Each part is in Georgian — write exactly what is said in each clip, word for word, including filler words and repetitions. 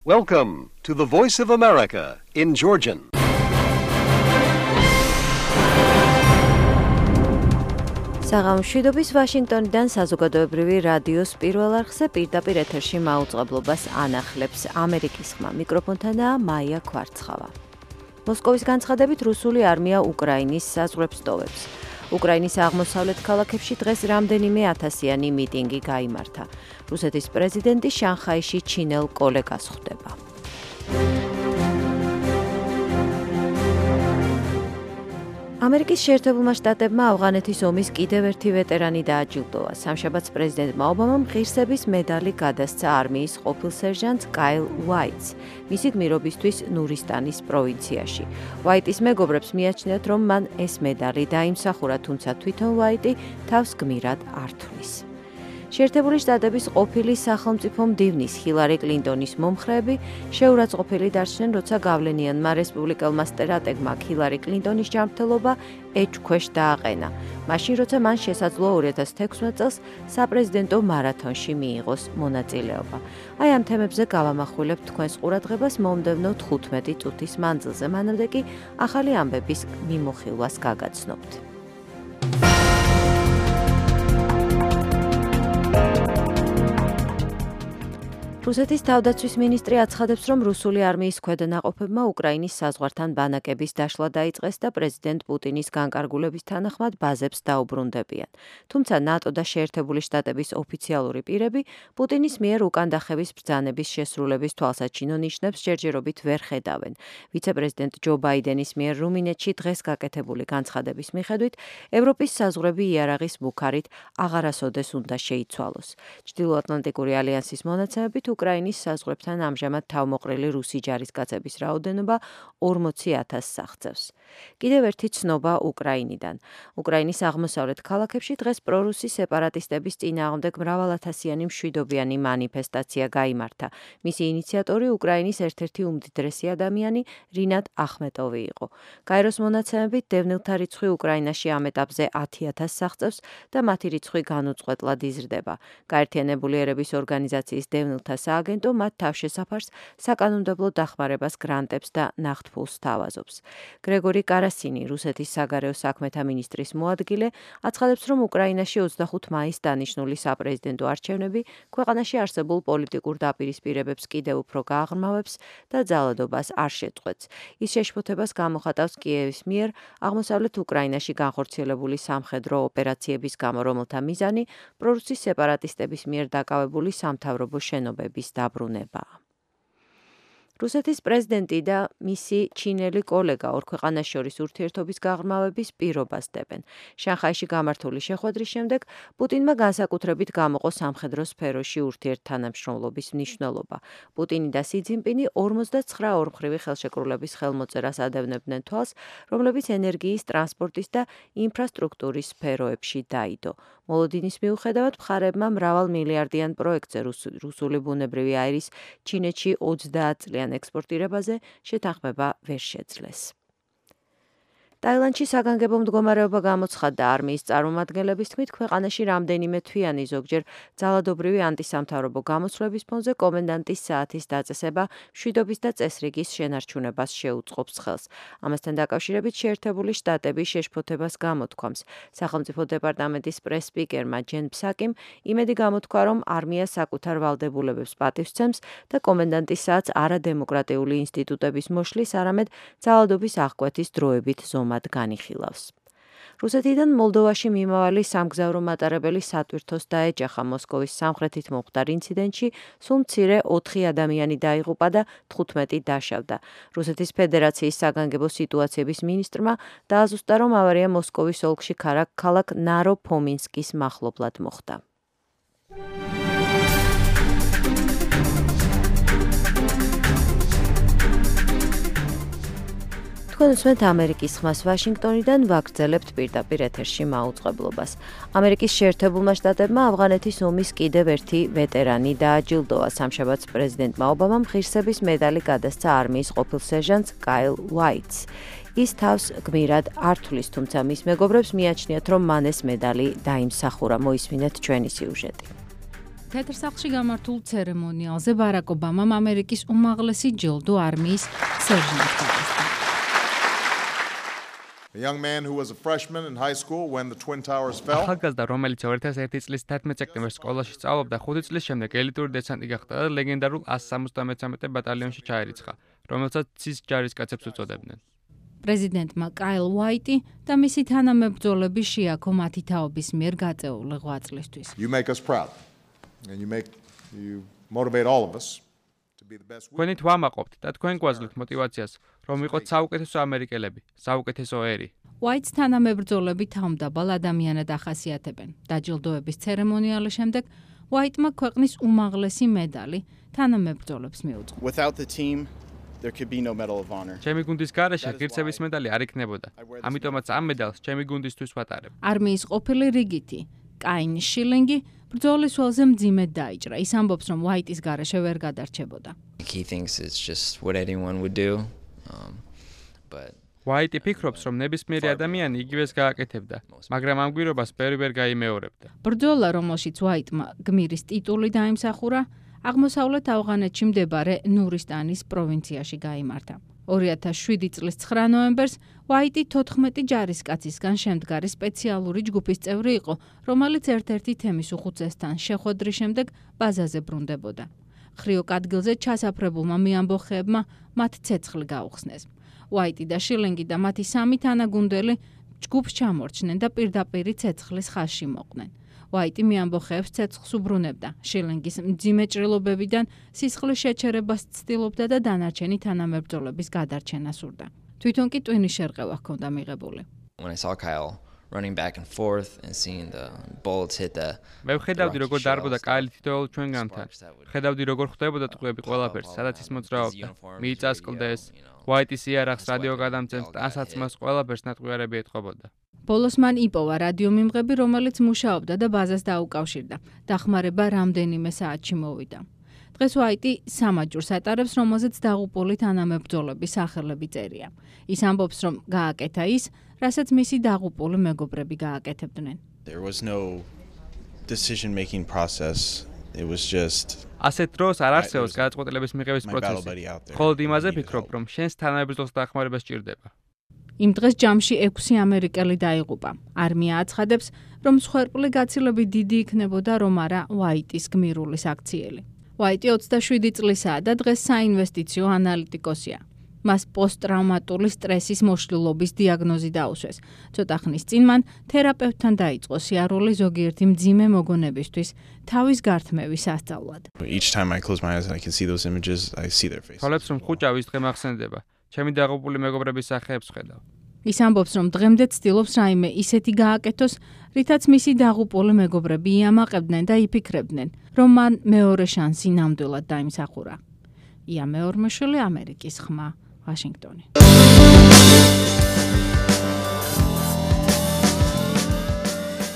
Welcome to the Voice of America in Georgian. საღამოშვიდობის ვაშინგტონიდან საზოგადოებრივი რადიოს პირველ არხზე პირდაპირ ეთერში მაუწყებლობას ანახლებს ამერიკის ხმა. მიკროფონთანაა მაია კვარცხავა. მოსკოვის განცხადებით რუსული არმია უკრაინის საზღვრებს ტოვებს. უკრაინის აღმოსავლეთ ქალაქებში დღეს რამდენიმე ათასიანი მიტინგი გაიმართა. რუსეთის პრეზიდენტი შანხაიში ჩინელ კოლეგას ხვდება. ამერიკის შეერთებულმა შტატებმა ავღანეთის ომის კიდევ ერთი ვეტერანი დააჯილდოვა. სამშაბათს პრეზიდენტმა ობამამ ღირსების მედალი გადასცა არმიის ყოფილ სერჟანტს კაილ უაიტს, მისი გმირობისთვის ნურისტანის პროვინციაში. უაიტის მეგობრებს მიაჩნიათ, რომ მან ეს მედალი დაიმსახურა, თუმცა თვითონ უაიტი თავს გმირად არ თვლის. შეერთებული შტატების ყოფილი სახელმწიფო მდივნის ჰილარი კლინტონის მომხრეები შეურაცხყოფილი დარჩნენ, როცა გავლენიანმა რესპუბლიკელმა სტრატეგმა ჰილარი კლინტონის ჯანმრთელობა ეჭვქვეშ დააყენა, მაშინ როცა მან შესაძლოა ორი ათას თექვსმეტ წელს საპრეზიდენტო მარათონში მიიღოს მონაწილეობა. აი ამ თემებზე გავამახვილებთ თქვენს ყურადღებას მომდევნო თხუთმეტი წუთის მანძილზე, მანამდე კი ახალი ამბების მიმოხილვას გაგაცნობთ. რუსეთის თავდაცვის მინისტრი აცხადებს, რომ რუსული არმიის ქვედანაყოფებმა უკრაინის საზღვართან ბანაკების დაშლა დაიწყეს და პრეზიდენტ პუტინის განკარგულების თანახმად ბაზებს დაუბრუნდებიან. თუმცა ნატო და შეერთებული შტატების ოფიციალური პირები პუტინის მიერ უკანდახევის ბრძანების შესრულების თვალსაჩინო ნიშნებს ჯერჯერობით ვერ ხედავენ. ვიცე-პრეზიდენტ ჯო ბაიდენის მიერ რუმინეთში დღეს გაკეთებული განცხადების მიხედვით, ევროპის საზღვრები იარაღის მუქარით აღარასოდეს უნდა შეიცვალოს. ჩრდილოატლანტიკური ალიანსის მონაცემებით უკრაინის საზღვრებთან ამჟამად თავმოყრილი რუსი ჯარისკაცების რაოდენობა ორმოცი ათასს აღწევს. კიდევ ერთი ცნობა უკრაინიდან. უკრაინის აღმოსავლეთ ქალაქებში დღეს პრორუსი სეპარატისტების წინააღმდეგ მრავალათასიანი მშვიდობიანი მანიფესტაცია გაიმართა. მისი ინიციატორი უკრაინის ერთ-ერთი უმდიდრესი ადამიანი რინატ ახმეტოვი იყო. გაეროს მონაცემებით დევნილთა რიცხვი უკრაინაში ამ ეტაპზე ათი ათასს აღწევს და მათი რიცხვი განუწყვეტლად იზრდება. გაერთიანებული ერების ორგანიზაციის დევნილთა სააგენტო მათ თავშესაფარს საკანონმდებლო დახმარებას, გრანტებს და ნახტფულს სთავაზობს. გრეგორი კარასინი, რუსეთის საგარეო საქმეთა მინისტრის მოადგილე, აცხადებს, რომ უკრაინაში ოცდახუთ მაისს დანიშნული საპრეზიდენტო არჩევნები ქვეყანაში არსებულ პოლიტიკურ დაპირისპირებებს კიდევ უფრო გააღრმავებს და ძალადობას არ შეწყვეტს. ის შეშფოთებას გამოხატავს კიევის მიერ აღმოსავლეთ უკრაინაში განხორციელებული სამხედრო ოპერაციების გამო, რომელთა მიზანი პრორუსის სეპარატისტების მიერ დაკავებული სამთავრობო შენობების დაბრუნებაა. რუსეთის პრეზიდენტი და მისი ჩინელი კოლეგა ორ ქვეყანას შორის ურთიერთობის გაღრმავების პირობას დებენ. შანხაიში გამართული შეხვედრის შემდეგ პუტინმა განსაკუთრებით გამოყო სამხედრო სფეროში ურთიერთთანამშრომლობის მნიშვნელობა. პუტინი და სი ძინპინი ორმოცდაცხრა ორმხრივი ხელშეკრულების ხელმოწერას ადევნებდნენ თვალს, რომლებიც ენერგიის, ტრანსპორტის და ინფრასტრუქტურის სფეროებში დაიდო. მოლოდინის მიუხედავად მხარეებმა მრავალ მილიარდიან პროექტზე რუსული ბუნებრივი აირის ჩინეთში ოცდაათ წლიან ექსპორტირებაზე შეთანხმება ვერ შეძლეს. ტაილანდში საგანგებო მდგომარეობა გამოცხადდა. არმიის წარმომადგენლების თქმით, ქვეყანაში რამდენიმე თვიანი, ზოგჯერ ძალადობრივი ანტისამთავრობო გამოსვლების ფონზე კომენდანტის საათის დაწესება მშვიდობის და წესრიგის შენარჩუნებას შეუწყობს ხელს. ამასთან დაკავშირებით შეერთებული შტატები შეშფოთებას გამოთქვამს. სახელმწიფო დეპარტამენტის პრეს-სპიკერმა ჯენ ფსაკიმ იმედი გამოთქვა, რომ არმია საკუთარ ვალდებულებებს პატივს სცემს და კომენდანტის საათს არადემოკრატიული ინსტიტუტების მოშლის, არამედ ძალადობის აღკვეთის დროებით ზომად განიხილავს. რუსეთიდან მოლდოვაში მიმავალი სამგზავრო მატარებელი სატვირთოს დაეჯახა. მოსკოვის სამხრეთით მომხდარ ინციდენტში სულ მცირე ოთხი ადამიანი დაიღუპა და თხუთმეტი დაშავდა. რუსეთის ფედერაციის საგანგებო სიტუაციების მინისტრმა დააზუსტა, რომ ავარია მოსკოვის ოლქში ქალაქ ნარო-ფომინსკის მახლობლად მოხდა. თქვენ უსმენთ ამერიკის ხმას ვაშინგტონიდან, ვაგრძელებთ პირდაპირ ეთერში მაუწყებლობას. ამერიკის შეერთებულმა შტატებმა ავღანეთის ომის კიდევ ერთი ვეტერანი დააჯილდოვა. სამშაბათს პრეზიდენტმა ობამამ ღირსების მედალი გადასცა არმიის ყოფილ სერჟანტს კაილ უაიტს. ის თავს გმირად არ თვლის, თუმცა მის მეგობრებს მიაჩნიათ, რომ მან ეს მედალი დაიმსახურა. მოისმინეთ ჩვენი სიუჟეტი. თეთრსახლში გამართულ ცერემონიალზე ბარაკ ობამამ ამერიკის უმაღლესი ჯილდო არმიის სერჟანტს გადასცა. A young man who was a freshman in high school when the Twin Towers fell. ახალგაზრდა, რომელიც ორი ათას ერთი წლის თერთმეტ სექტემბერს სკოლაში სწავლობდა, ხუთი წლის შემდეგ ელიტური დესანტი გახდა და ლეგენდარულ ას სამოცდამეცამეტე ბატალიონში ჩაირიცხა, რომელსაც ცის ჯარისკაცებს უწოდებდნენ. პრეზიდენტმა კაილ უაიტი და მისი თანამებრძოლები შეაქო მათი თაობის მიერ გაწეული ღვაწლისთვის. You make us proud and you make you motivate all of us to be the best. თქვენი თვამაყობთ და თქვენ გვაძლევთ мотивაციას, რომ ვიყოთ საუკეთესო ამერიკელები, საუკეთესო ერი. უაიტს თანამებრძოლები თავმდაბალ ადამიანად ახასიათებენ. დაჯილდოების ცერემონიალის შემდეგ უაიტმა ქვეყნის უმაღლესი მედალი თანამებრძოლებს მიუძღვა. Without the team there could be no medal of honor. ჩემი გუნდის გარეშე ღირსების მედალი არ იქნებოდა. ამიტომაც ამ მედალს ჩემი გუნდისთვის ვატარებ. არმიის ყოფილი რიგითი კაინ შილინგი ბრძოლის ველზე მძიმედ დაიჭრა. ის ამბობს, რომ უაიტის გარეშე ვერ გადარჩებოდა. He thinks it's just what anyone would do. Um, but უაიტი ფიქრობს, რომ ნებისმიერი ადამიანი იგივეს გააკეთებდა, მაგრამ ამ გვირობას ბევრი ვერ გაიმეორებდა. ბრძოლა, რომელშიც უაიტმა გმირის ტიტული დაიმსახურა, აღმოსავლეთ ავღანეთში მდებარე ნურისტანის პროვინციაში გაიმართა. ორი ათას შვიდი წლის ცხრა ნოემბერს უაიტი თოთხმეტი ჯარისკაცისგან შემდგარი სპეციალური ჯგუფის წევრი იყო, რომელიც ერთ-ერთი თემის უხუცესთან შეხვედრის შემდეგ ბაზაზე ბრუნდებოდა. ხრიოკ ადგილზე ჩასაფრებულმა მეამბოხეებმა მათ ცეცხლი გაუხსნეს. უაიტი და შილინგი და მათი სამი თანაგუნდელი ჯგუფს ჩამორჩნენ და პირდაპირი ცეცხლის ხაზში მოყვნენ. უაიტი მეამბოხეებს ცეცხლს უბრუნებდა. შილინგის მძიმე ჭრილობებიდან სისხლის შეჩერებას ცდილობდა და დანარჩენი თანამებრძოლების გადარჩენას სურდა. თვითონ კი ტვინის შერყევა ჰქონდა მიღებული. when I saw Kyle running back and forth and seeing the bullets hit the მე ვხედავდი როგორ დარბოდა კაილი თითოეულ ჩვენგანთან. ხედავდი როგორ ხვდებოდა ტყვეები ყველაფერს, სადაც ის მოძრაობდა. მიწას კლდეს, უაიტის იარაღს რადიო გადამცემს, ტანსაცმელს ყველაფერს ნატყვიარები ეთყობოდა. ბოლოს მან იპოვა რადიომიმღები, რომელიც მუშაობდა და ბაზას დაუკავშირდა. დახმარება რამდენიმე საათში მოვიდა. დღეს უაიტი სამაჯურს ატარებს, რომელზეც დაღუპული თანამებრძოლების სახელები წერია. ის ამბობს, რომ გააკეთა ის, რასაც მისი დაღუპული მეგობრები გააკეთებდნენ. There was no decision making process. It was just ასეთ დროს არ არსებობს გადაწყვეტილების მიღების პროცესი. მხოლოდ იმაზე ფიქრობ, რომ შენს თანამებრძოლს დახმარება სჭირდება. იმ დღეს ჯამში ექვსი ამერიკელი დაიღუპა. არმია აცხადებს, რომ მსხვერპლი გაცილებით დიდი იქნებოდა, რომ არა უაიტის გმირული საქციელი. უაიტი ოცდაშვიდი წლისაა და დღეს საინვესტიციო ანალიტიკოსია. მას პოსტტრავმატული სტრესის მოშლილობის დიაგნოზი დაუსვეს. ცოტა ხნის წინ მან თერაპევტთან დაიწყო სიარული ზოგიერთი მძიმე მოგონებისთვის თავის გართმევის სასწავლად. each time I close my eyes and I can see those images, I see their faces. თვალებს რომ ხუჭავ ის დღე მახსენდება. ჩემი დაღუპული მეგობრების სახეებს ხედავ. ის ამბობს, რომ დღემდე ცდილობს რაიმე ისეთი გააკეთოს, რითაც მისი დაღუპული მეგობრები იამაყებდნენ და იფიქრებდნენ, რომ მან მეორე შანსი ნამდვილად დაიმსახურა. ია მეორმეშვილი, ამერიკის ხმა, ვაშინგტონი.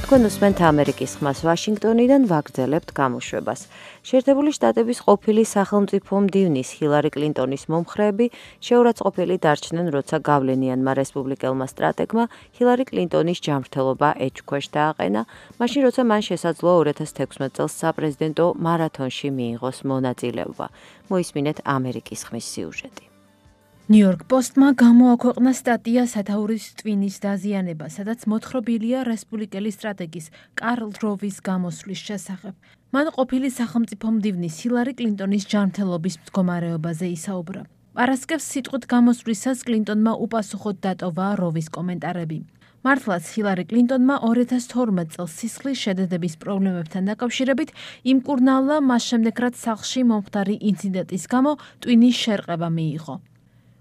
თქვენ უსმენთ ამერიკის ხმას ვაშინგტონიდან, ვაგრძელებთ გამოშვებას. შეერთებული შტატების ყოფილი სახელმწიფო მდივნის ჰილარი კლინტონის მომხრეები შეურაცხყოფილი დარჩნენ, როცა გავლენიანმა რესპუბლიკელმა სტრატეგმა ჰილარი კლინტონის ჯანმრთელობა ეჭქვეშ დააყენა, მაშინ როცა მან შესაძლოა ორი ათას თექვსმეტ წელს საპრეზიდენტო მარათონში მიიღოს მონაწილეობა. მოისმინეთ ამერიკის ხმის სიუჟეტი. ნიუ-იორკ პოსტმა გამოაქვეყნა სტატია სათაურის ტვინის დაზიანება, სადაც მოთხრობილია რესპუბლიკელი სტრატეგის კარლ როვის გამოსვლის შესახებ. მან ყოფილი სახელმწიფო მდივნის ჰილარი კლინტონის ჯანმრთელობის მდგომარეობაზე ისაუბრა. პარასკევს სიტყვით გამოსვლისას კლინტონმა უპასუხოდ დატოვა როვის კომენტარები. მართლაც ჰილარი კლინტონმა ორი ათას თორმეტ წელს სისხლის შედედების პრობლემებთან დაკავშირებით იმკურნალდა, მას შემდეგ რაც სახლში მომხდარი ინციდენტის გამო ტვინის შერყება მიიღო.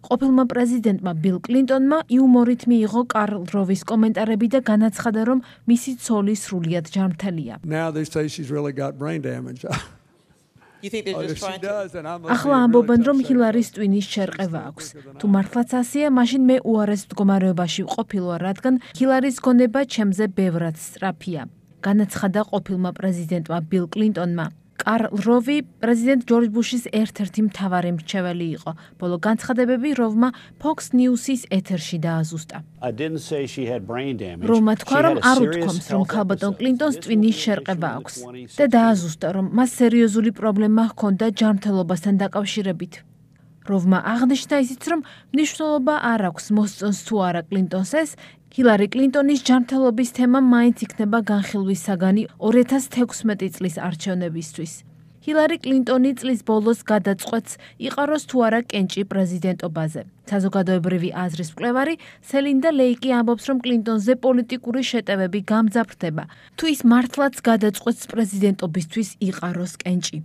ყოფილმა პრეზიდენტმა ბილ კლინტონმა იუმორით მიიღო კარლ როვის კომენტარები და განაცხადა, რომ მისი ცოლი სრულიად ჯანმრთელია. ახლა ამბობენ, რომ ჰილარის ტვინის შერყევა აქვს. თუ მართლაც ასეა, მაშინ მე უარეს მდგომარეობაში ვყოფილვარ, რადგან ჰილარის გონება ჩემზე ბევრად სწრაფია. განაცხადა ყოფილმა პრეზიდენტმა ბილ კლინტონმა. კარლ როვი პრეზიდენტ ჯორჯ ბუშის ერთ-ერთი მთავარი მრჩეველი იყო. ბოლო განცხადებები როვმა Fox News-ის ეთერში დააზუსტა. როვმა თქვა, რომ არ უთქვამს, რომ ქალბატონ კლინტონს ტვინის შერყება აქვს და დააზუსტა, რომ მას სერიოზული პრობლემა ჰქონდა ჯანმრთელობასთან დაკავშირებით. როვმა აღნიშნა ისიც, რომ მნიშვნელობა არ აქვს მოსწონს თუ არა კლინტონს ეს, ჰილარი კლინტონის ჯანმრთელობის თემა მაინც იქნება განხილვის საგანი ორი ათას თექვსმეტი წლის არჩევნებისთვის. ჰილარი კლინტონი წლის ბოლოს გადაწყვეტს იყაროს თუ არა კენჭი პრეზიდენტობაზე. საზოგადოებრივი აზრის მკვლევარი სელინდა ლეიკი ამბობს, რომ კლინტონზე პოლიტიკური შეტევები გამძაფრდება, თუ ის მართლაც გადაწყვეტს პრეზიდენტობისთვის იყაროს კენჭი.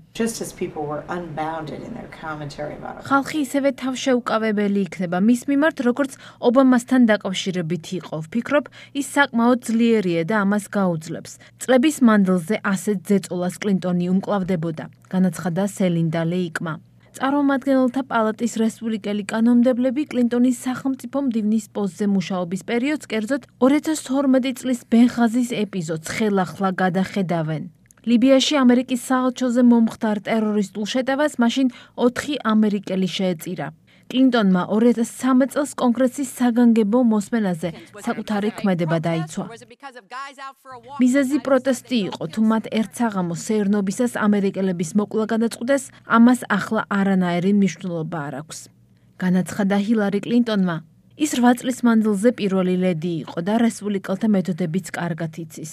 ხალხი ისევე თავშეუკავებელი იქნება მის მიმართ, როგორც ობამასთან დაკავშირებით იყო. ვფიქრობ, ის საკმაოდ ძლიერია და ამას გაუძლებს. წლების მანძილზე ასეთ ზეწოლას კლინტონი უმკლავდებოდა, განაცხადა სელინდა ლეიკმა. წარმომადგენელთა პალატის რესპუბლიკელი კანონმდებლები კლინტონის სახელმწიფო მდივნის პოსტზე მუშაობის პერიოდს, კერძოდ ორი ათას თორმეტი წლის ბენღაზის ეპიზოდს ხელახლა გადახედავენ. ლიბიაში ამერიკის საელჩოზე მომხდარ ტერორისტულ შეტევას მაშინ ოთხი ამერიკელი შეეწირა. კლინტონმა ორი ათას ცხრამეტ წელს კონგრესის საგანგებო მოსმენაზე საკუთარი ქმედება დაიცვა. მიზეზი პროტესტი იყო, თუ მათ ერთ საღამოს სეირნობისას ამერიკელების მოკლა გადაწყვიტეს, ამას ახლა არანაირი მნიშვნელობა არ აქვს. განაცხადა ჰილარი კლინტონმა, ის რვა წლის მანძილზე პირველი ლედი იყო და რესპუბლიკელთა მეთოდებიც კარგად იცის.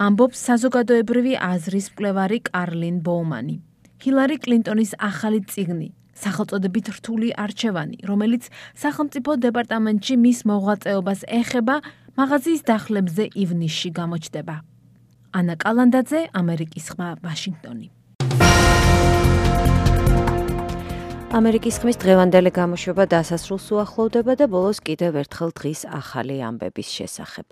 ამბობს საზოგადოებრივი აზრის მკვლევარი კარლინ ბოუმანი. ჰილარი კლინტონის ახალი წიგნი სახელწოდებით რთული არჩევანი, რომელიც სახელმწიფო დეპარტამენტში მის მოღვაწეობას ეხება, მაღაზიის დახლებზე ივნისში გამოჩნდება. ანა კალანდაძე, ამერიკის ხმა, ვაშინგტონი. ამერიკის ხმის დღევანდელი გამოშვება დასასრულს უახლოვდება და ბოლოს კიდევ ერთხელ დღის ახალი ამბების შესახებ.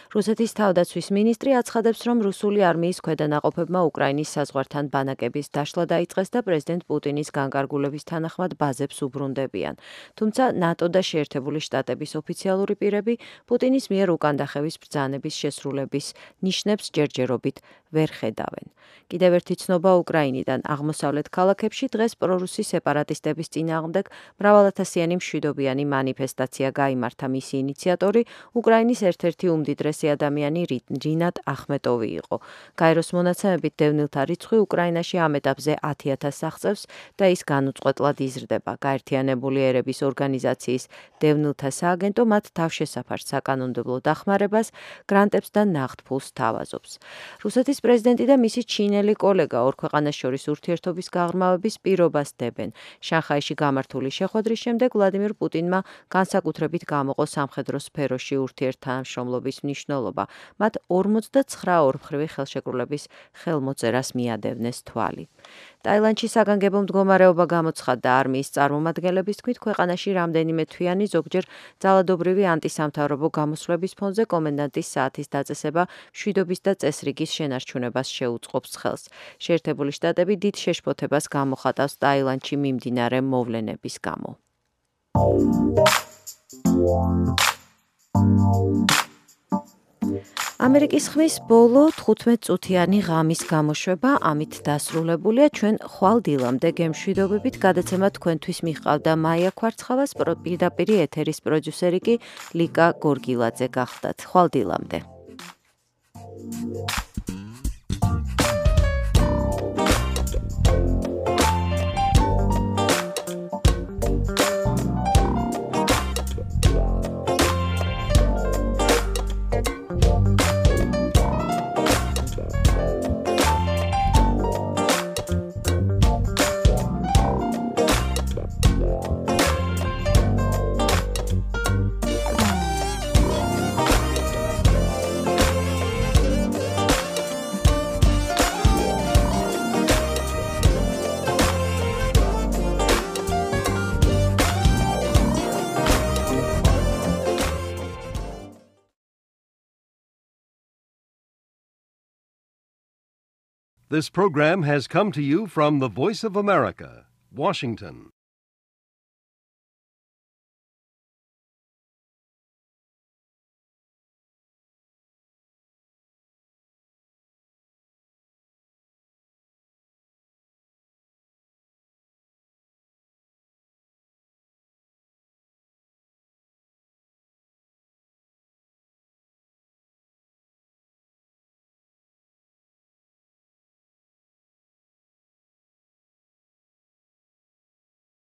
რუსეთის თავდაცვის მინისტრი აცხადებს, რომ რუსული არმიის ქვედანაყოფებმა უკრაინის საზღვართან ბანაკების დაშლა დაიწყეს და პრეზიდენტ პუტინის განკარგულების თანახმად ბაზებს უბრუნდებიან. თუმცა ნატო და შეერთებული შტატების ოფიციალური პირები პუტინის მიერ უკანდახევის ბრძანების შესრულების ნიშნებს ჯერჯერობით ვერ ხედავენ. კიდევ ერთი ცნობა უკრაინიდან აღმოსავლეთ ქალაქებში დღეს პრორუსი სეპარატისტების წინააღმდეგ მრავალათასიანი მშვიდობიანი მანიფესტაცია გაიმართა. მისი ინიციატორი უკრაინის ერთ-ერთი უმდიდრესი ადამიანი რინატ ახმეტოვი იყო. გაეროს მონაცემებით დევნილთა რიცხვი უკრაინაში ამ ეტაპზე ათი ათასს აღწევს და ის განუწყვეტლად იზრდება. გაერთიანებული ერების ორგანიზაციის დევნილთა სააგენტო მათ თავშესაფარ საკანონმდებლო დახმარებას, გრანტებს და ნაღდფულს თავაზობს. რუსეთის პრეზიდენტი და მისი ჩინელი კოლეგა ორ ქვეყანას შორის ურთიერთობის გაღრმავების პირობას დებენ. შანხაიში გამართული შეხვედრის შემდეგ ვლადიმირ პუტინმა განსაკუთრებით გამოყო სამხედრო სფეროში ურთიერთთანამშრომლობის მნიშვნელობა. მათ ორმოცდაცხრა ორმხრივი ხელშეკრულების ხელმოწერას მიადევნეს თვალი. ტაილანდში საგანგებო მდგომარეობა გამოცხადდა. არმიის წარმომადგენლების თქმით, ქვეყანაში რამდენიმე თვიანი, ზოგჯერ ძალადობრივი ანტისამთავრობო გამოსვლების ფონზე კომენდანტის საათის დაწესება მშვიდობის და წესრიგის შენარჩუნებას შეუწყობს ხელს. შეერთებული შტატები დიდ შეშფოთებას გამოხატავს ტაილანდში მიმდინარე მოვლენების გამო. ამერიკის ხმის ბოლო თხუთმეტ-წუთიანი ღამის გამოშვება ამით დასრულებულია. ჩვენ ხვალ დილამდე გემშვიდობებით, გადაცემა თქვენთვის მიჰყავდა მაია ქვარცხავას, პირდაპირ ეთერის პროდიუსერი კი ლიკა გორგილაძე გახდათ. ხვალ დილამდე. This program has come to you from the Voice of America, Washington.